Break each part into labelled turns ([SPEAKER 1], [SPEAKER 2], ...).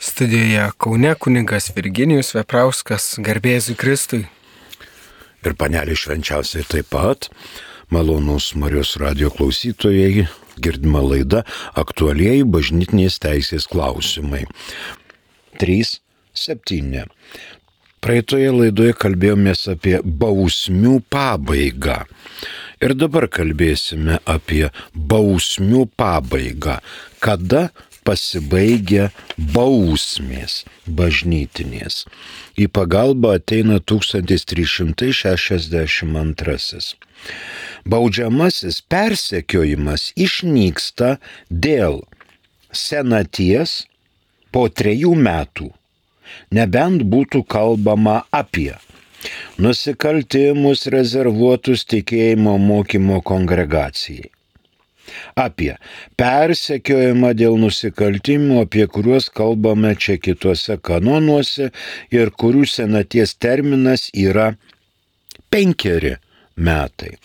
[SPEAKER 1] Studijoje Kaune kunigas Virginijus Veprauskas, garbė Jėzui Kristui.
[SPEAKER 2] Ir panelė švenčiausiai taip pat, malonūs Marijos radijo klausytojai, girdima laida aktualieji bažnytinės teisės klausimai. 3.7. Praeitoje laidoje kalbėjomės apie bausmių pabaigą. Ir dabar kalbėsime apie bausmių pabaigą. Kada pasibaigia bausmės bažnytinės. Į pagalbą ateina 1362. Baudžiamasis persekiojimas išnyksta dėl senaties po 3 metų, nebent būtų kalbama apie nusikaltimus rezervuotus tikėjimo mokymo kongregacijai, apie persekiojimą dėl nusikaltimų, apie kuriuos kalbame čia kituose kanonuose ir kurių senaties terminas yra 5 metai.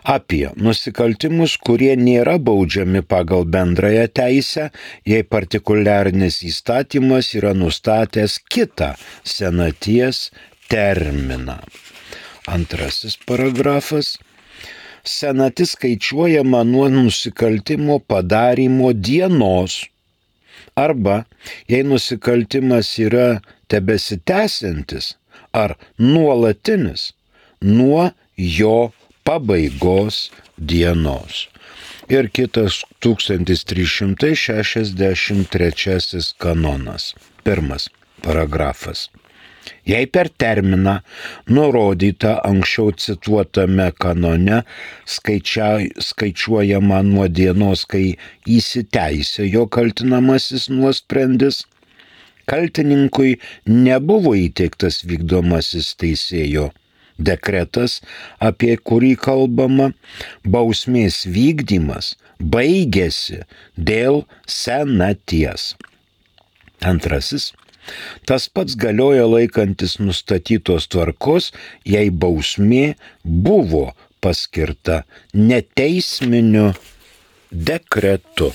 [SPEAKER 2] Apie nusikaltimus, kurie nėra baudžiami pagal bendrąją teisę, jei partikuliarinis įstatymas yra nustatęs kitą senaties terminą. Antrasis paragrafas. Senatis skaičiuojama nuo nusikaltimo padarymo dienos arba, jei nusikaltimas yra tebesitęsiantis ar nuolatinis, nuo jo pabaigos dienos. Ir kitas 1363 kanonas. 1 paragrafas. Jei per terminą nurodytą anksčiau cituotame kanone skaičiuojama nuo dienos, kai įsiteisėjo kaltinamasis nuosprendis, kaltininkui nebuvo įteiktas vykdomasis teisėjo dekretas, apie kurį kalbama, bausmės vykdymas baigėsi dėl senaties. Antrasis. Tas pats galioja laikantis nustatytos tvarkos, jei bausmė buvo paskirta neteisminiu dekretu.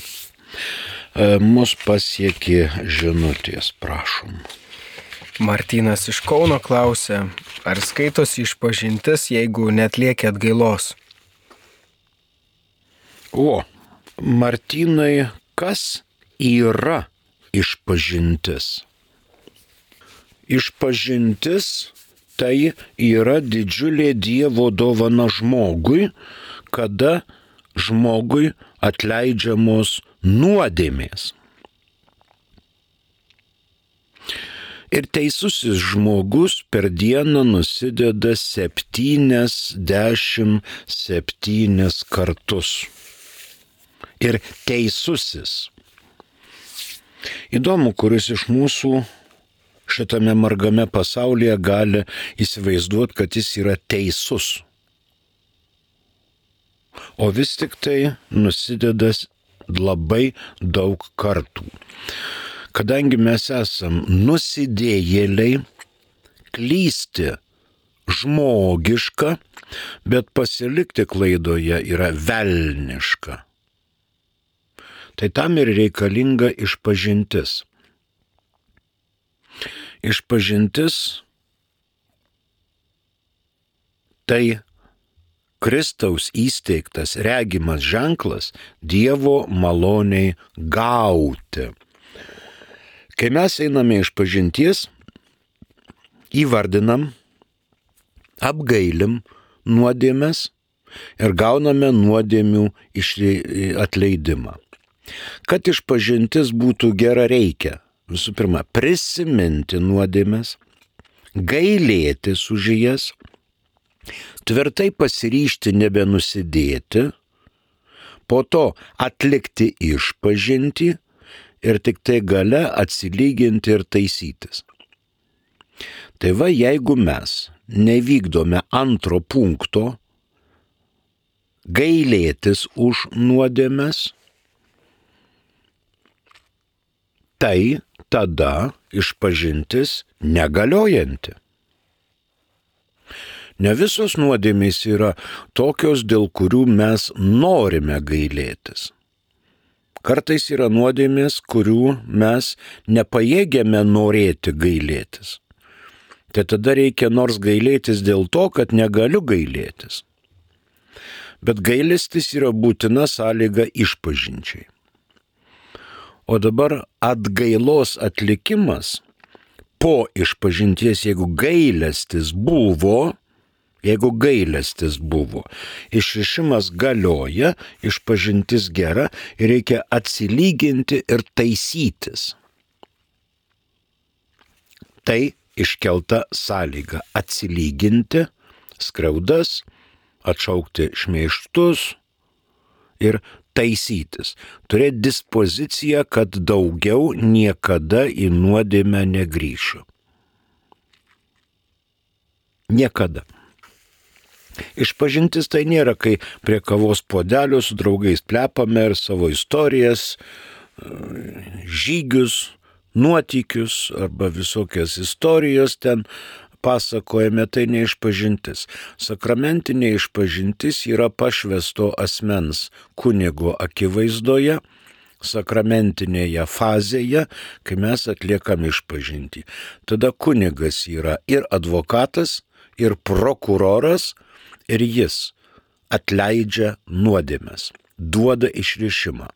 [SPEAKER 2] Mus pasiekė žinutės, prašom.
[SPEAKER 1] Martynas iš Kauno klausia, ar skaitosi išpažintis, jeigu neatlieki atgailos?
[SPEAKER 2] Martynai, kas yra išpažintis? Išpažintis tai yra didžiulė Dievo dovana žmogui, kada žmogui atleidžiamos nuodėmės. Ir teisusis žmogus per dieną nusideda 77 kartus. Ir teisusis. Įdomu, kuris iš mūsų šitame margame pasaulyje gali įsivaizduoti, kad jis yra teisus. O vis tik tai nusideda labai daug kartų. Kadangi mes esam nusidėjėliai, klysti žmogiška, bet pasilikti klaidoje yra velniška. Tai tam ir reikalinga išpažintis. Išpažintis tai Kristaus įsteigtas regimas ženklas Dievo maloniai gauti. Kai mes einame išpažinties, įvardinam, apgailim nuodėmes ir gauname nuodėmių atleidimą. Kad išpažintis būtų gera, reikia visų pirma prisiminti nuodėmes, gailėtis už jas, tvirtai pasiryžti nebenusidėti, po to atlikti išpažintį ir tik tai gale atsilyginti ir taisytis. Tai va, jeigu mes nevykdome antro punkto, gailėtis už nuodėmes, tai tada išpažintis negaliojanti. Ne visos nuodėmės yra tokios, dėl kurių mes norime gailėtis. Kartais yra nuodėmės, kurių mes nepajėgiame norėti gailėtis. Tai tada reikia nors gailėtis dėl to, kad negaliu gailėtis. Bet gailestis yra būtina sąlyga išpažinčiai. O dabar atgailos atlikimas po išpažinties, jeigu gailestis buvo, išrišimas galioja, išpažintis gera ir reikia atsilyginti ir taisytis. Tai iškelta sąlyga - atsilyginti skriaudas, atšaukti šmeižtus ir taisytis. Turėti dispoziciją, kad daugiau niekada į nuodėmę negrįšiu. Niekada. Išpažintis tai nėra, kai prie kavos puodelio su draugais plepame ir savo istorijas, žygius, nuotykius arba visokias istorijos ten pasakojame, tai neišpažintis. Sakramentinė išpažintis yra pašvęsto asmens kunigo akivaizdoje, sakramentinėje fazėje, kai mes atliekam išpažintį. Tada kunigas yra ir advokatas, ir prokuroras, ir jis atleidžia nuodėmes, duoda išrišimą.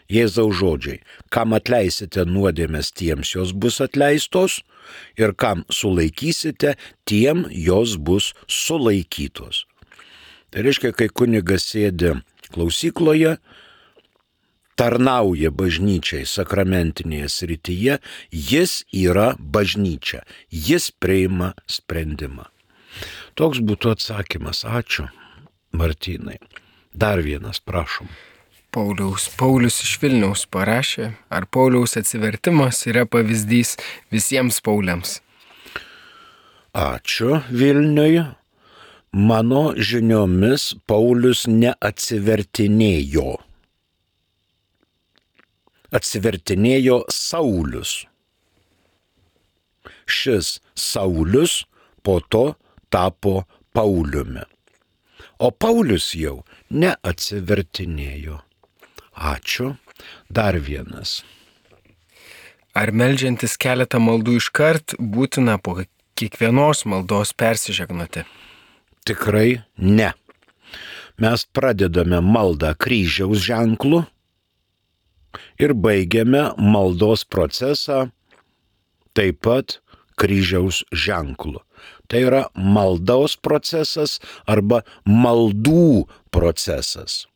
[SPEAKER 2] Jėzaus žodžiai: kam atleisite nuodėmes, tiems jos bus atleistos, ir kam sulaikysite, tiem jos bus sulaikytos. Tai reiškia, kai kunigas sėdi klausykloje, tarnauja bažnyčiai sakramentinėje srityje, jis yra bažnyčia, jis priima sprendimą. Toks būtų atsakymas. Ačiū, Martynai. Dar vienas, prašom.
[SPEAKER 1] Paulius iš Vilniaus parašė, ar Pauliaus atsivertimas yra pavyzdys visiems Pauliams?
[SPEAKER 2] Ačiū Vilniui. Mano žiniomis Paulius neatsivertinėjo. Atsivertinėjo Saulius. Šis Saulius po to tapo Pauliumi. O Paulius jau neatsivertinėjo. Ačiū. Dar vienas.
[SPEAKER 1] Ar meldžiantis keletą maldų iškart būtina po kiekvienos maldos persižegnoti?
[SPEAKER 2] Tikrai ne. Mes pradedame maldą kryžiaus ženklu ir baigiame maldos procesą taip pat kryžiaus ženklu. Tai yra maldos procesas arba maldų procesas.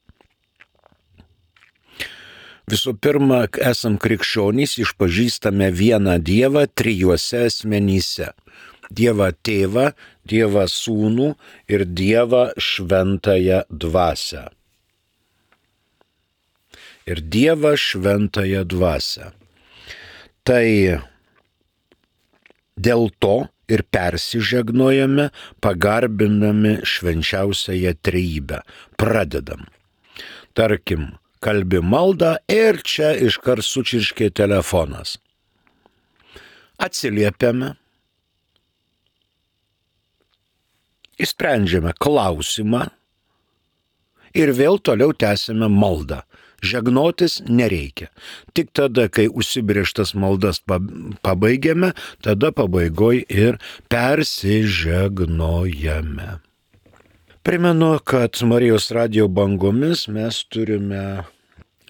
[SPEAKER 2] Visų pirma, esam krikščionys, išpažįstame vieną Dievą trijuose asmenyse. Dievą Tėvą, Dievą Sūnų ir Dievą Šventąją Dvasią. Ir Dievą Šventąją Dvasią. Tai dėl to ir persižegnojame, pagarbinami švenčiausiąją trejybę. Pradedam. Tarkim, kalbi maldą ir čia iškart sučirškė telefonas. Atsiliepiame. Išsprendžiame klausimą ir vėl toliau tęsime maldą. Žegnotis nereikia. Tik tada, kai užsibrėžtas maldas pabaigiame, tada pabaigoj ir persižegnojame. Primenu, kad Marijos radijo bangomis mes turime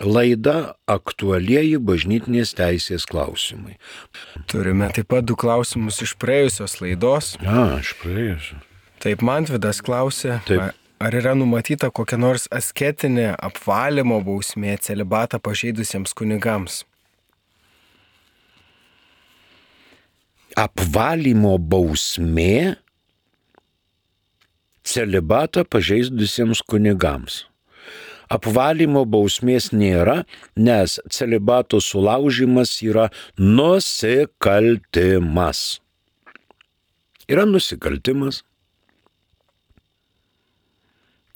[SPEAKER 2] laidą Aktualieji bažnytinės teisės klausimai.
[SPEAKER 1] Turime taip pat 2 klausimus iš praėjusios laidos.
[SPEAKER 2] Iš praėjusios.
[SPEAKER 1] Taip, Mantvydas klausė,
[SPEAKER 2] Taip.
[SPEAKER 1] ar yra numatyta kokia nors asketinė apvalymo bausmė celibatą pažeidusiems kunigams?
[SPEAKER 2] Apvalymo bausmė celibatą pažeidusiems kunigams. Apvalymo bausmės nėra, nes celibato sulaužimas yra nusikaltimas. Yra nusikaltimas.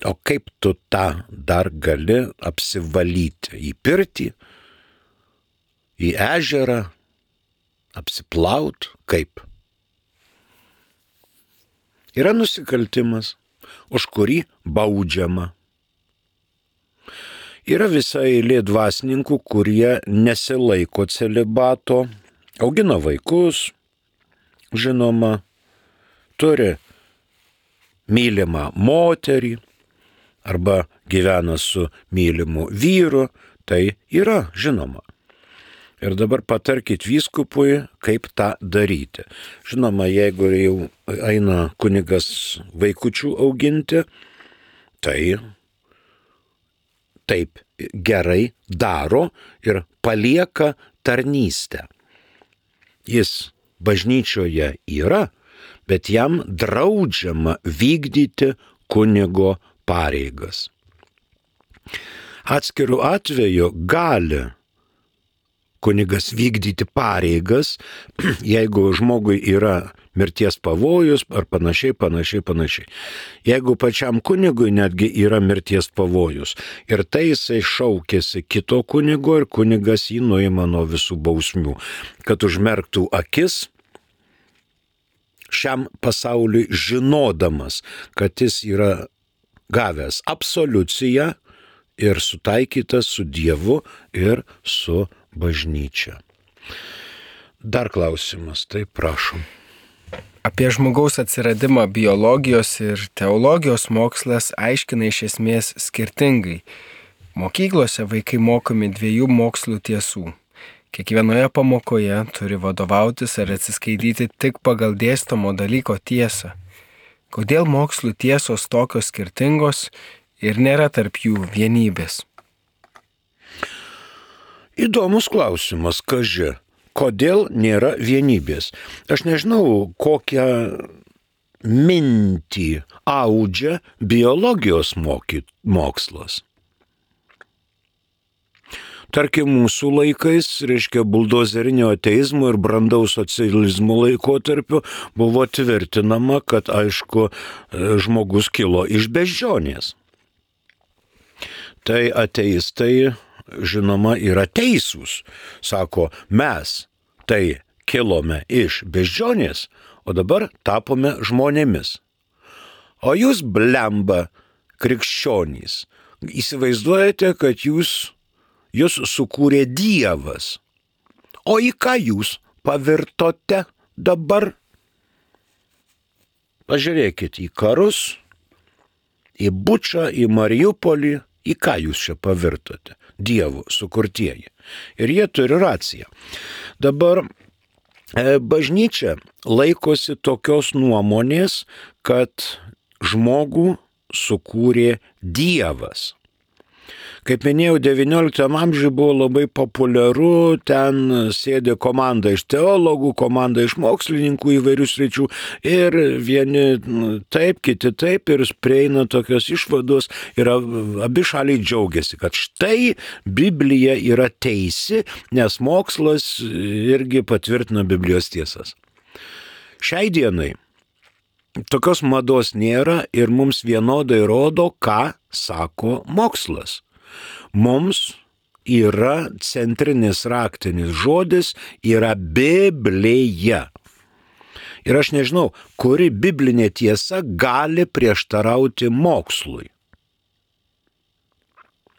[SPEAKER 2] O kaip tu tą dar gali apsivalyti? Į pirtį, į ežerą, apsiplaut? Kaip? Yra nusikaltimas, už kurį baudžiama. Yra visa eilė dvasininkų, kurie nesilaiko celibato, augina vaikus, žinoma, turi mylimą moterį arba gyvena su mylimu vyru, tai yra žinoma. Ir dabar patarkit vyskupui, kaip tą daryti. Žinoma, jeigu jau eina kunigas vaikučių auginti, tai taip gerai daro ir palieka tarnystę. Jis bažnyčioje yra, bet jam draudžiama vykdyti kunigo pareigas. Atskirų atveju gali kunigas vykdyti pareigas, jeigu žmogui yra mirties pavojus ar panašiai. Jeigu pačiam kunigui netgi yra mirties pavojus ir tai jisai šaukėsi kito kunigo ir kunigas jį nuima nuo visų bausmių, kad užmerktų akis šiam pasauliui žinodamas, kad jis yra gavęs absoliuciją ir sutaikytas su Dievu ir su bažnyčia. Dar klausimas, tai prašom.
[SPEAKER 1] Apie žmogaus atsiradimą biologijos ir teologijos mokslas aiškina iš esmės skirtingai. Mokyklose vaikai mokomi 2 mokslų tiesų. Kiekvienoje pamokoje turi vadovautis ar atsiskaityti tik pagal dėstomo dalyko tiesą. Kodėl mokslų tiesos tokios skirtingos ir nėra tarp jų vienybės?
[SPEAKER 2] Įdomus klausimas, kaži, kodėl nėra vienybės? Aš nežinau, kokią mintį audžia biologijos mokslas. Tarkim, mūsų laikais, reiškia, buldozerinio ateizmo ir brandaus socializmo laikotarpiu buvo tvirtinama, kad, aišku, žmogus kilo iš beždžionės. Tai ateistai, žinoma, yra teisūs. Sako, mes tai kilome iš beždžionės, o dabar tapome žmonėmis. O jūs, blemba, krikščionys, įsivaizduojate, kad jūs sukūrė Dievas. O į ką jūs pavirtote dabar? Pažiūrėkit į karus, į Bučą, į Mariupolį, į ką jūs čia pavirtote? Dievo sukurtieji. Ir jie turi raciją. Dabar bažnyčia laikosi tokios nuomonės, kad žmogų sukūrė Dievas. Kaip minėjau, XIX amžiuje buvo labai populiaru, ten sėdė komanda iš teologų, komanda iš mokslininkų įvairių sričių ir vieni taip, kiti taip ir prieina tokios išvados ir abi šaliai džiaugiasi, kad štai Biblija yra teisi, nes mokslas irgi patvirtina Biblijos tiesas. Šiai dienai tokios mados nėra ir mums vienodai rodo, ką sako mokslas. Mums yra centrinis raktinis žodis, yra Biblija. Ir aš nežinau, kuri biblinė tiesa gali prieštarauti mokslui.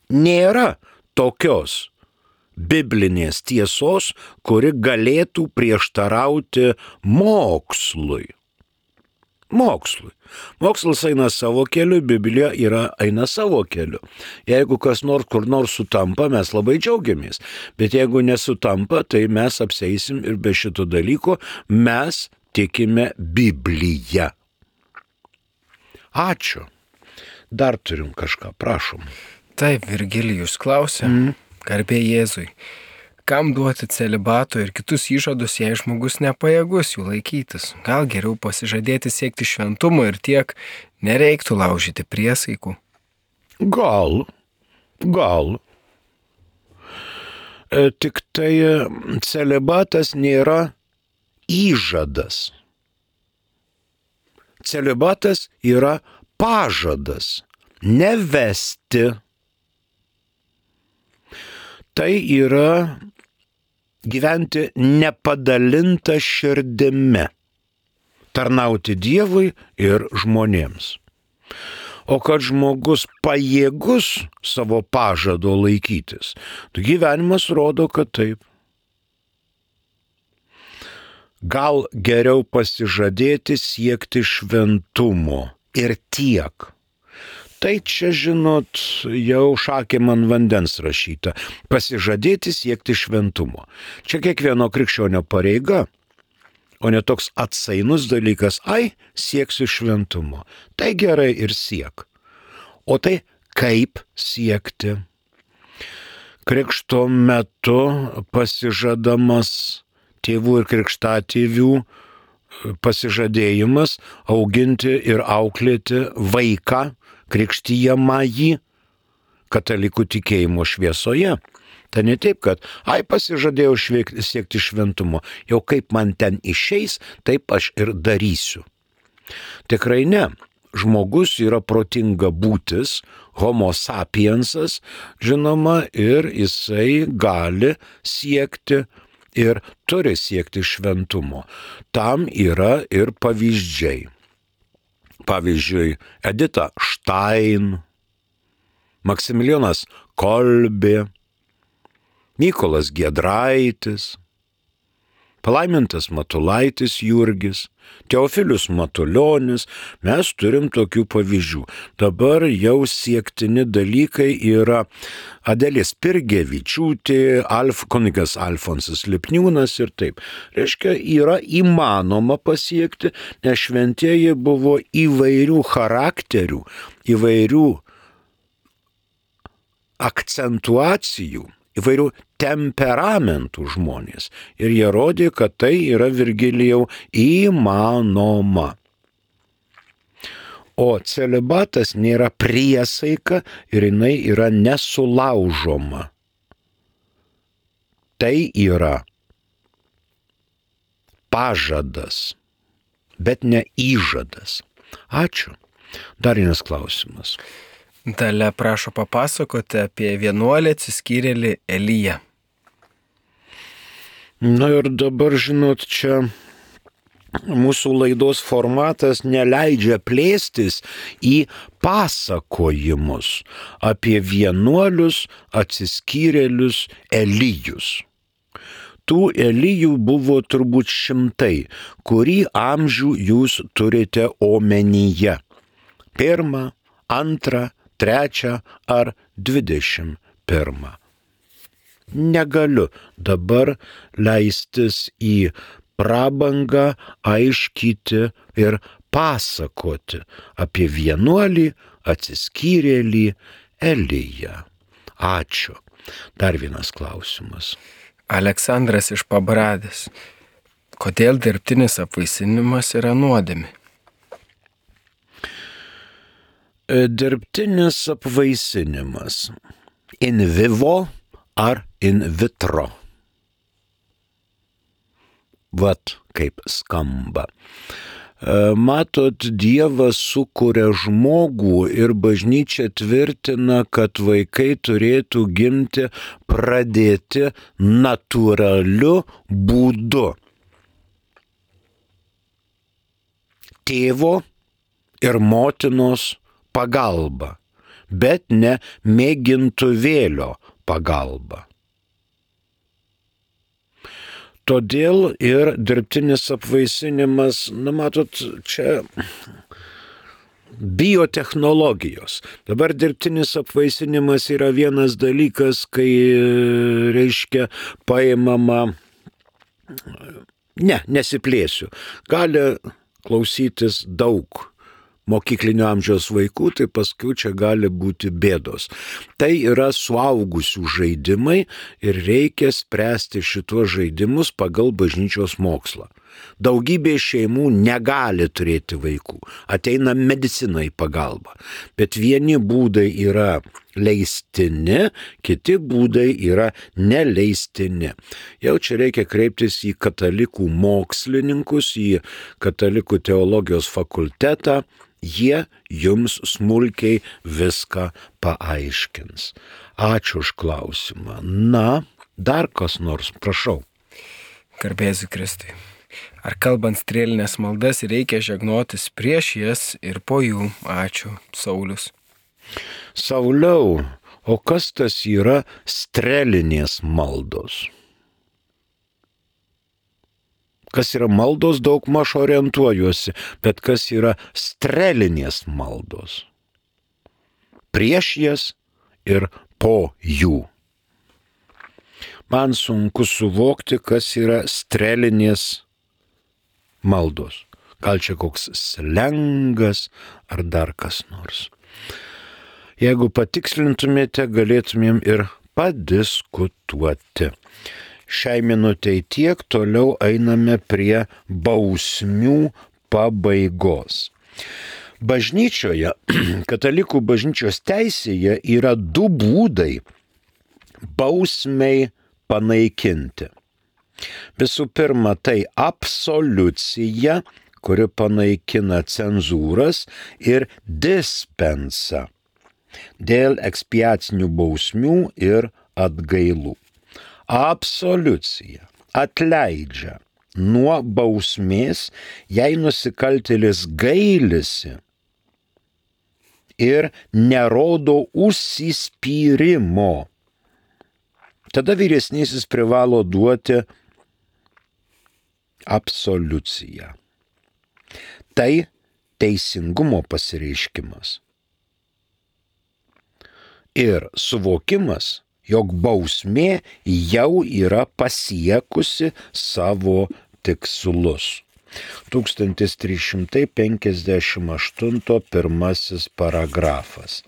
[SPEAKER 2] Nėra tokios biblinės tiesos, kuri galėtų prieštarauti mokslui. Mokslas eina savo keliu, Biblija eina savo keliu. Jeigu kas nors kur nors sutampa, mes labai džiaugiamės. Bet jeigu nesutampa, tai mes apseisim ir be šito dalyko mes tikime Bibliją. Ačiū. Dar turim kažką, prašom.
[SPEAKER 1] Taip, Virgilijus klausė, garbė Jėzui. Kam duoti celibato ir kitus įžadus, jei žmogus nepajėgus jų laikytis? Gal geriau pasižadėti siekti šventumo ir tiek nereiktų laužyti priesaikų?
[SPEAKER 2] Gal. Tik tai celibatas nėra įžadas. Celibatas yra pažadas nevesti. Tai yra gyventi nepadalinta širdimi, tarnauti Dievui ir žmonėms. o kad žmogus pajėgus savo pažado laikytis. Tai gyvenimas rodo, kad taip. Gal geriau pasižadėti siekti šventumo ir tiek. Tai čia, žinot, jau šakėm ant vandens rašyta. Pasižadėti siekti šventumo. Čia kiekvieno krikščionio pareiga, o ne toks atsainus dalykas, sieksiu šventumo. Tai gerai ir siek. O tai kaip siekti? Krikšto metu pasižadamas tėvų ir krikštatėvių pasižadėjimas auginti ir auklėti vaiką, krikštijamąjį katalikų tikėjimo šviesoje. Tai ne taip, kad pasižadėjau siekti šventumo, jau kaip man ten išeis, taip aš ir darysiu. Tikrai ne. Žmogus yra protinga būtis, homo sapiensas, žinoma, ir jisai gali siekti ir turi siekti šventumo. Tam yra ir pavyzdžiai. Pavyzdžiui, Edita Štain, Maksimilijonas Kolbė, Mykolas Giedraitis, palaimintas Matulaitis Jurgis, Teofilius Matulionis, mes turim tokių pavyzdžių. Dabar jau siektini dalykai yra Adelė Spirgevičiūtė, kunigas Alfonsas Lipniūnas ir taip. Reiškia, yra įmanoma pasiekti, nes šventieji buvo įvairių charakterių, įvairių akcentuacijų, įvairių temperamentų žmonės. Ir jie rodė, kad tai yra, Virgilijau, įmanoma. O celibatas nėra priesaika ir jinai yra nesulaužoma. Tai yra pažadas, bet ne įžadas. Ačiū. Dar vienas klausimas.
[SPEAKER 1] Dalia prašo papasakoti apie vienuolį atsiskyrėlį Eliją.
[SPEAKER 2] Na ir dabar, žinot, čia mūsų laidos formatas neleidžia plėstis į pasakojimus apie vienuolius atsiskyrėlius Elijus. Tų Elijų buvo turbūt šimtai, kurį amžių jūs turite omenyje. 1, 2, 3 ar 21. Negaliu dabar leistis į prabangą aiškyti ir pasakoti apie vienuolį atsiskyrėlį Eliją. Ačiū. Dar vienas klausimas.
[SPEAKER 1] Aleksandras iš Pabradės. Kodėl dirbtinis apvaisinimas yra nuodėmė?
[SPEAKER 2] Dirbtinis apvaisinimas. In vivo ar in vitro. Vat kaip skamba. Matot, Dievas sukuria žmogų ir bažnyčia tvirtina, kad vaikai turėtų gimti pradėti natūraliu būdu. Tėvo ir motinos pagalba, bet ne mėgintuvėlio pagalba. Todėl ir dirbtinis apvaisinimas, matot, čia biotechnologijos. Dabar dirbtinis apvaisinimas yra vienas dalykas, kai, reiškia, paimama, nesiplėsiu, gali klausytis daug mokyklinio amžiaus vaikų, tai paskui čia gali būti bėdos. Tai yra suaugusių žaidimai ir reikia spręsti šituos žaidimus pagal bažnyčios mokslą. Daugybė šeimų negali turėti vaikų, ateina medicina į pagalbą, bet vieni būdai yra leistini, kiti būdai yra neleistini. Jau čia reikia kreiptis į katalikų mokslininkus, į katalikų teologijos fakultetą, jie jums smulkiai viską paaiškins. Ačiū už klausimą. Na, dar kas nors, prašau.
[SPEAKER 1] Garbėsiu Kristui. Ar kalbant strėlinės maldas reikia žegnotis prieš jas ir po jų? Ačiū, Saulius.
[SPEAKER 2] Sauliau, o kas tas yra strėlinės maldos? Kas yra maldos, daug maž orientuojuosi, bet kas yra strėlinės maldos? Prieš jas ir po jų. Man sunku suvokti, kas yra strėlinės maldos. Gal čia koks slengas ar dar kas nors. Jeigu patikslintumėte, galėtumėm ir padiskutuoti. Šiai minutei tiek, toliau einame prie bausmių pabaigos. Bažnyčioje, katalikų bažnyčios teisėje yra du būdai bausmei panaikinti. Visų pirma, tai absoliucija, kuri panaikina cenzūras, ir dispensa dėl ekspiacinių bausmių ir atgailų. Absoliucija atleidžia nuo bausmės, jei nusikaltėlis gailisi ir nerodo užsispyrimo. Tada vyresnysis privalo duoti absoliuciją. Tai teisingumo pasireiškimas. Ir suvokimas, jog bausmė jau yra pasiekusi savo tikslus. 1358 pirmasis paragrafas.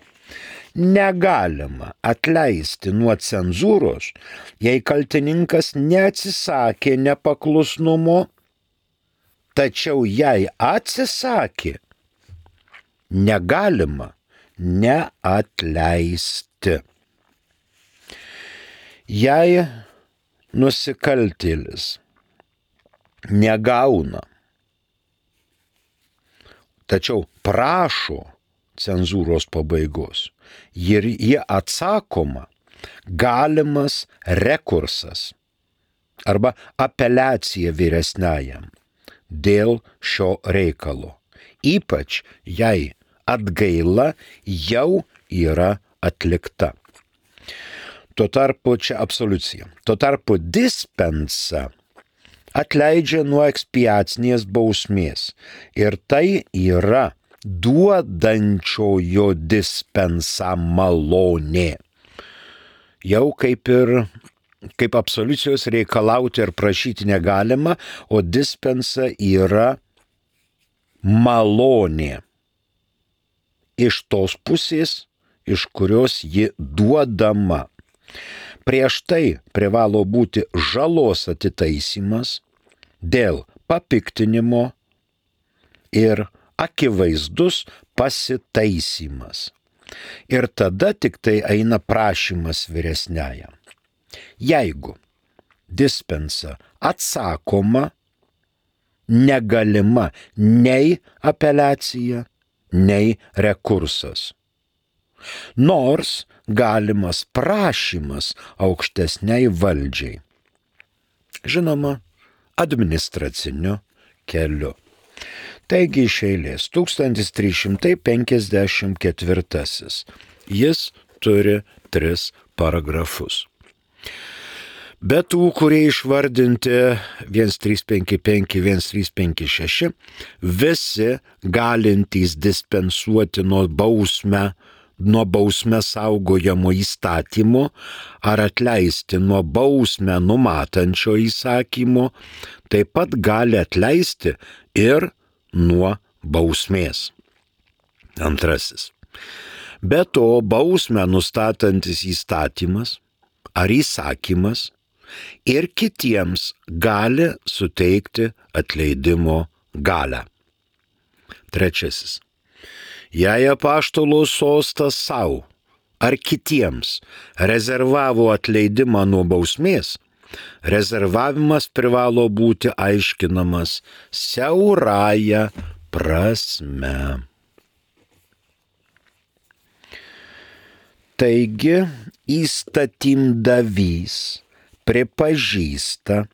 [SPEAKER 2] Negalima atleisti nuo cenzūros, jei kaltininkas neatsisakė nepaklusnumo, tačiau jei atsisakė, negalima neatleisti. Jei nusikaltėlis negauna, tačiau prašo cenzūros pabaigos ir jie atsakoma, galimas rekursas arba apeliacija vyresniajam dėl šio reikalo, ypač jei atgaila jau yra atlikta. Tuo tarpu čia absoliucija. Tuo tarpu dispensa atleidžia nuo ekspiacinės bausmės. Ir tai yra duodančiojo dispensa malonė. Jau kaip absoliucijos reikalauti ir prašyti negalima, o dispensa yra malonė. Iš tos pusės, iš kurios ji duodama. Prieš tai privalo būti žalos atitaisymas dėl papiktinimo ir akivaizdus pasitaisymas. Ir tada tik tai eina prašymas vyresniajam. Jeigu dispensa atsakoma, negalima nei apeliacija, nei rekursas. Nors galimas prašymas aukštesniai valdžiai. Žinoma, administraciniu keliu. Taigi iš eilės 1354. Jis turi 3 paragrafus. Be tų, kurie išvardinti 1355, 1356, visi galintys dispensuoti nuo bausmę saugojamo įstatymo ar atleisti nuo bausmę numatančio įsakymo, taip pat gali atleisti ir nuo bausmės. 2. Be to, bausmę nustatantis įstatymas ar įsakymas ir kitiems gali suteikti atleidimo galią. 3. Jei apaštalo sostas savo ar kitiems rezervavo atleidimą nuo bausmės, rezervavimas privalo būti aiškinamas siaurąja prasme. Taigi įstatymdavys pripažįsta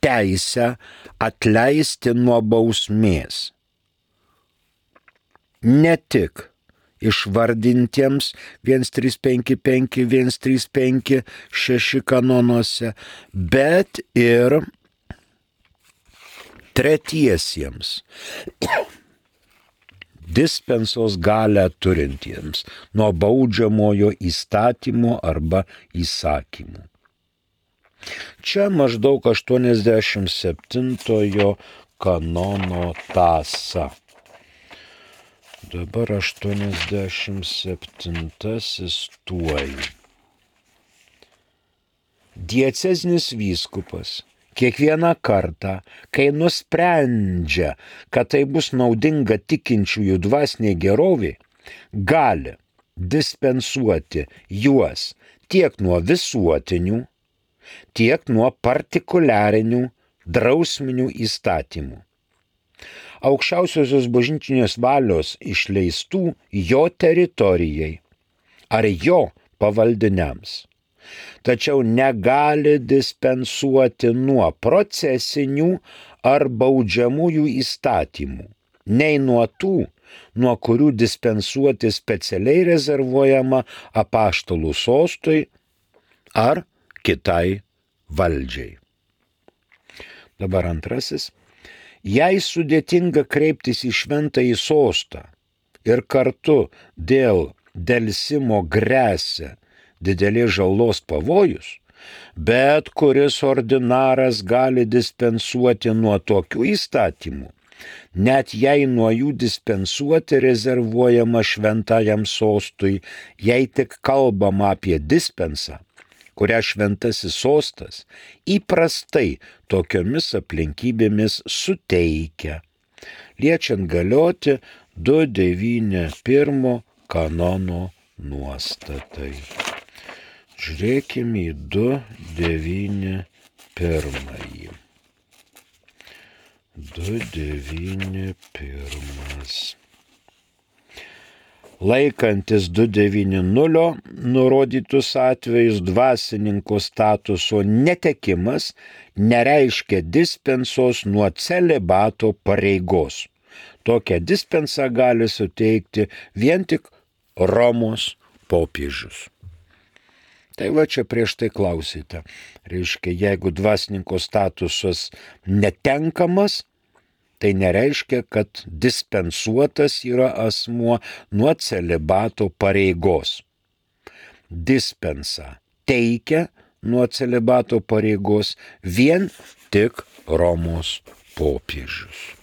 [SPEAKER 2] teisę atleisti nuo bausmės ne tik išvardintiems 1355, 1356 kanonuose, bet ir tretiesiems dispensos galę turintiems nuo baudžiamojo įstatymo arba įsakymų. Čia maždaug 87 kanono tąsa. Dabar 87 tuoj. Diecezinis vyskupas kiekvieną kartą, kai nusprendžia, kad tai bus naudinga tikinčiųjų dvasiniai geroviai, gali dispensuoti juos tiek nuo visuotinių, tiek nuo partikuliarinių drausminių įstatymų. Aukščiausiosios bažnytinės valios išleistų jo teritorijai ar jo pavaldiniams. Tačiau negali dispensuoti nuo procesinių ar baudžiamųjų įstatymų, nei nuo tų, nuo kurių dispensuoti specialiai rezervuojama apaštalų sostui ar kitai valdžiai. Dabar antrasis. Jei sudėtinga kreiptis į šventąjį sostą ir kartu dėl delsimo gresia didelės žalos pavojus, bet kuris ordinaras gali dispensuoti nuo tokių įstatymų, net jei nuo jų dispensuoti rezervuojama šventajam sostui, jei tik kalbama apie dispensą, kurią šventasis sostas įprastai tokiomis aplinkybėmis suteikia, liečiant galioti 291 kanono nuostatai. Žiūrėkime į 291. 291. Laikantis 290 nurodytus atvejus dvasininko statuso netekimas nereiškia dispensos nuo celibato pareigos. Tokią dispensą gali suteikti vien tik Romos popiežius. Tai va čia prieš tai klausite. Reiškia, jeigu dvasininko statusas netenkamas, tai nereiškia, kad dispensuotas yra asmuo nuo celibato pareigos. Dispensą teikia nuo celibato pareigos vien tik Romos popiežius.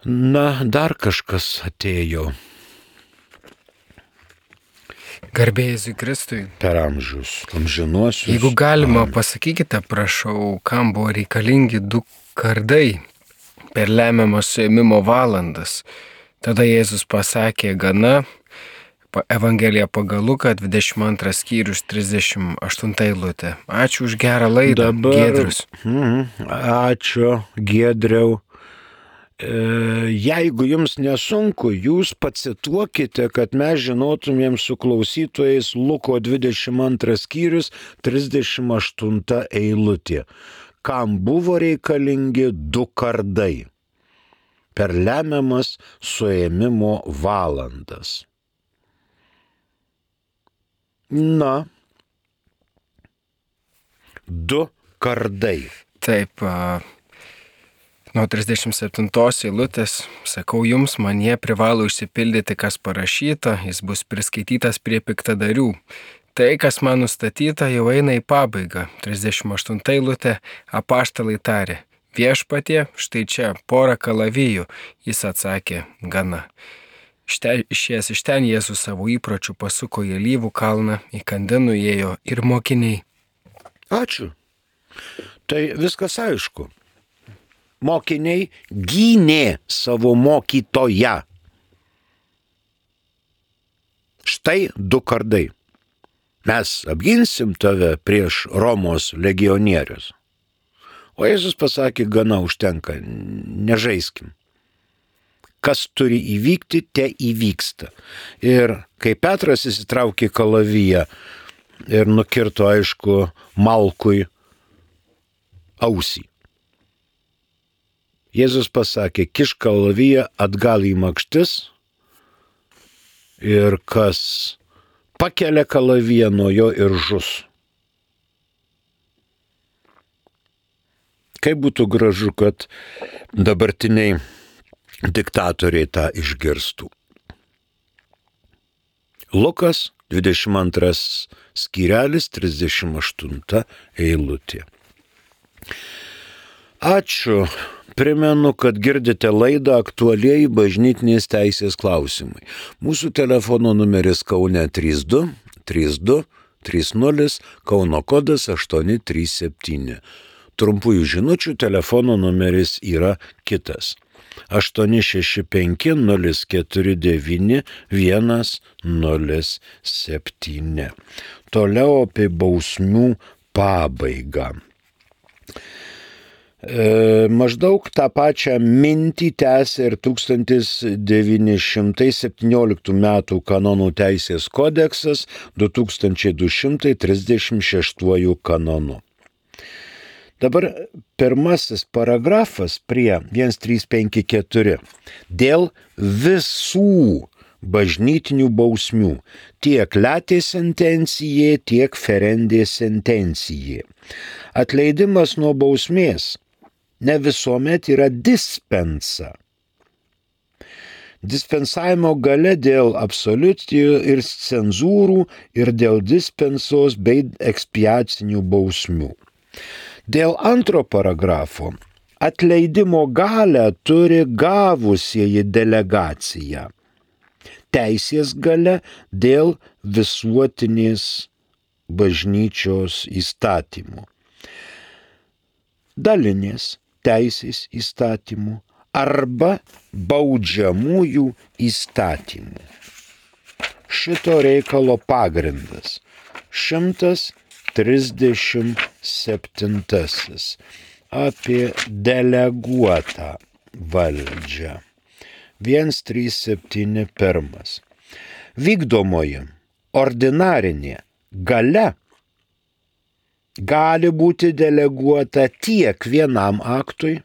[SPEAKER 2] Na, dar kažkas atėjo.
[SPEAKER 1] Garbė Jėzui Kristui.
[SPEAKER 2] Per amžius, amžinuosius.
[SPEAKER 1] Jeigu galima, pasakykite, prašau, kam buvo reikalingi 2 kardai per lemiamą suėmimo valandas. Tada Jėzus pasakė gana, Evangelija pagal Luką 22 skyrius 38 eilutė. Ačiū už gerą laidą, Giedrius.
[SPEAKER 2] Ačiū, Giedriau. Jeigu jums nesunku, jūs pacituokite, kad mes žinotumėm su klausytojais Luko 22 skyrius 38 eilutė. Kam buvo reikalingi 2 kardai per lemiamas suėmimo valandas. Na, 2 kardai.
[SPEAKER 1] Taip, nuo 37 eilutės, sakau jums, man jie privalo išsipildyti, kas parašyta, jis bus priskaitytas prie piktadarių. Tai, kas man nustatyta, jau eina į pabaigą. 38 eilutė, apaštalai tarė, viešpatie, štai čia, 10 kalavijų. Jis atsakė, gana. Išėjęs iš ten Jėzus savo įpročių pasuko į Alyvų kalną, į Kandinų ėjo ir mokiniai.
[SPEAKER 2] Ačiū. Tai viskas aišku. Mokiniai gynė savo mokytoją. Štai 2 kardai. Mes apginsim tave prieš Romos legionierius. O Jėzus pasakė, gana užtenka, nežaiskim. Kas turi įvykti, te įvyksta. Ir kai Petras įsitraukė kalaviją ir nukirto, aišku, Malkui ausį. Jėzus pasakė, kišk kalaviją atgal į makštis ir kas pakelia kalaviją nuo jo ir žus. Kaip būtų gražu, kad dabartiniai diktatoriai tą išgirstų. Lukas 22 skyrelis 38 eilutė. Ačiū. Primenu, kad girdite laidą Aktualieji bažnytinės teisės klausimai. Mūsų telefono numeris Kaune 32 32 30, Kauno kodas 837. Trumpųjų žinučių telefono numeris yra kitas. 865 049 107. Toliau apie bausmių pabaigą. Maždaug tą pačią mintį tęsia ir 1917 metų kanonų teisės kodeksas 2236 kanonu. Dabar pirmasis paragrafas prie 1354 dėl visų bažnytinių bausmių, tiek latė sentencijė, tiek ferendė sentencijė. Atleidimas nuo bausmės ne visuomet yra dispensa. Dispensavimo gale dėl absoliutijų ir cenzūrų ir dėl dispensos bei ekspiacinių bausmių. Dėl antro paragrafo atleidimo galę turi gavusieji delegaciją. Teisės gale dėl visuotinės bažnyčios įstatymų. Dalinės teisės įstatymų arba baudžiamųjų įstatymų. Šito reikalo pagrindas 137 apie deleguotą valdžią. 137. Vykdomoji ordinarinė galia gali būti deleguota tiek vienam aktui,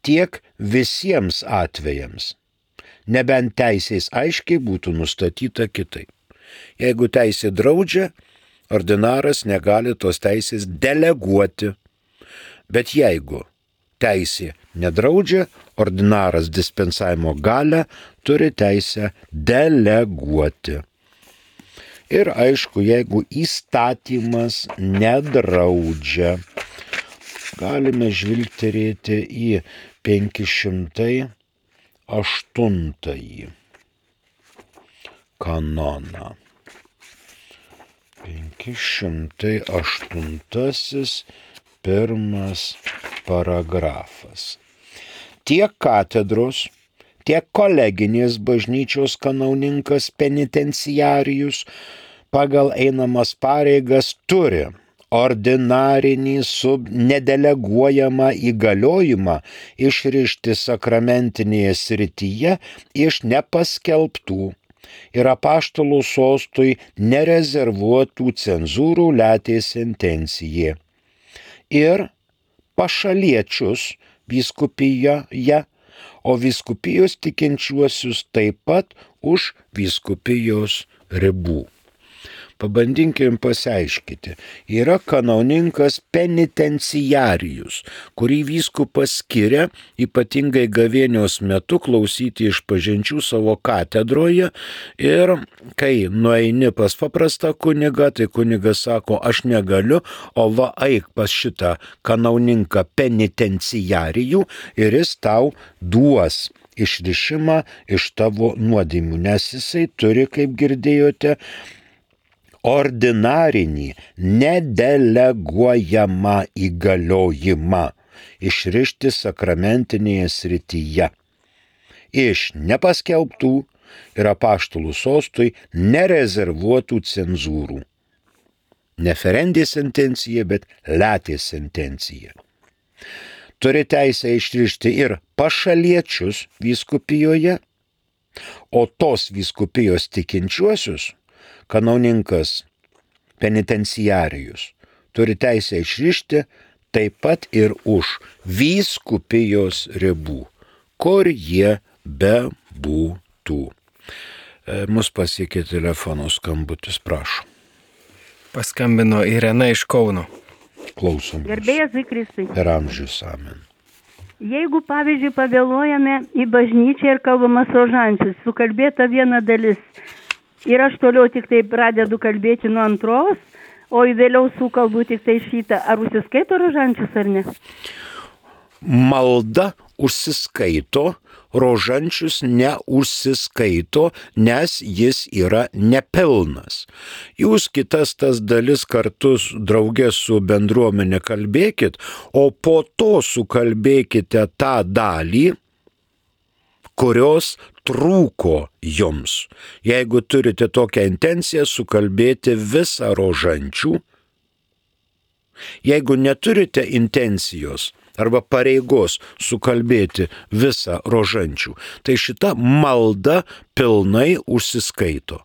[SPEAKER 2] tiek visiems atvejams, nebent teisės aiškiai būtų nustatyta kitaip. Jeigu teisė draudžia, ordinaras negali tos teisės deleguoti, bet jeigu teisė nedraudžia, ordinaras dispensavimo galią turi teisę deleguoti. Ir aišku, jeigu įstatymas nedraudžia, galime žvilgterėti į 508 kanoną. 508 pirmas paragrafas. Tiek katedros, tiek koleginės bažnyčios kanauninkas penitenciarijus pagal einamas pareigas turi ordinarinį nedeleguojamą įgaliojimą išrišti sakramentinėje srityje iš nepaskelbtų ir apaštalų sostui nerezervuotų cenzūrų latė sentencijė. Ir pašaliečius vyskupijoje, o vyskupijos tikinčiuosius taip pat už vyskupijos ribų. Pabandykim pasiaiškyti. Yra kanauninkas penitenciarijus, kurį vyskupas skiria ypatingai gavėnios metu klausyti išpažinčių savo katedroje ir kai nueini pas paprastą kunigą, tai kunigas sako, aš negaliu, o va eik pas šitą kanauninką penitenciarijų ir jis tau duos išrišimą iš tavo nuodėmių, nes jisai turi, kaip girdėjote, ordinarinį, nedeleguojamą įgaliojimą išrišti sakramentinėje srityje iš nepaskelbtų ir apaštalų sostui nerezervuotų cenzūrų. Ne ferendė sentencija, bet latė sentencija. Turi teisę išrišti ir pašaliečius vyskupijoje, o tos vyskupijos tikinčiuosius kanauninkas penitenciarijus turi teisę išrišti taip pat ir už vyskupijos ribų, kur jie bebūtų. Mus pasiekė telefono skambutis, prašom.
[SPEAKER 1] Paskambino Irena iš Kauno.
[SPEAKER 2] Klausom.
[SPEAKER 3] Garbėjas į Kristai.
[SPEAKER 2] Per amžius, amen.
[SPEAKER 3] Jeigu, pavyzdžiui, pavėluojame į bažnyčią ir kalbamas rožančius, sukalbėta viena dalis ir aš toliau tik tai pradedu kalbėti nuo antros, o vėliau sukalbu tik tai šitą, ar užsiskaito rožančius ar ne?
[SPEAKER 2] Malda užsiskaito, rožančius neužsiskaito, nes jis yra nepilnas. Jūs kitas tas dalis kartu draugė su bendruomenė kalbėkit, o po to sukalbėkite tą dalį, kurios trūko jums. Jeigu turite tokią intenciją sukalbėti visą rožančių, jeigu neturite intencijos arba pareigos sukalbėti visą rožančių, tai šita malda pilnai užsiskaito.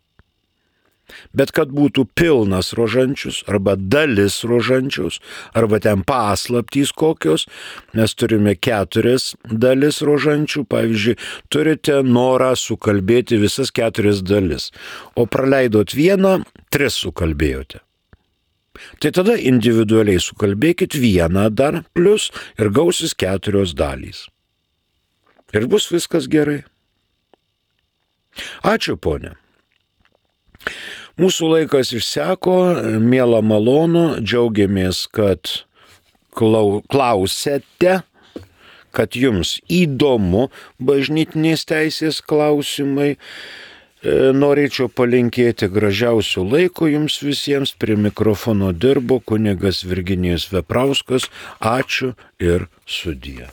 [SPEAKER 2] Bet kad būtų pilnas rožančius arba dalis rožančius, arba ten paslaptys kokios, mes turime 4 dalis rožančių, pavyzdžiui, turite norą sukalbėti visas 4 dalis, o praleidot vieną, 3 sukalbėjote. Tai tada individualiai sukalbėkit vieną dar plus ir gausis 4 dalys. Ir bus viskas gerai. Ačiū, ponė. Mūsų laikas išseko, miela malonu, džiaugiamės, kad klausėte, kad jums įdomu bažnytinės teisės klausimai. Norėčiau palinkėti gražiausių laiko jums visiems. Prie mikrofono dirbo kunigas Virginijus Veprauskas. Ačiū ir sudie.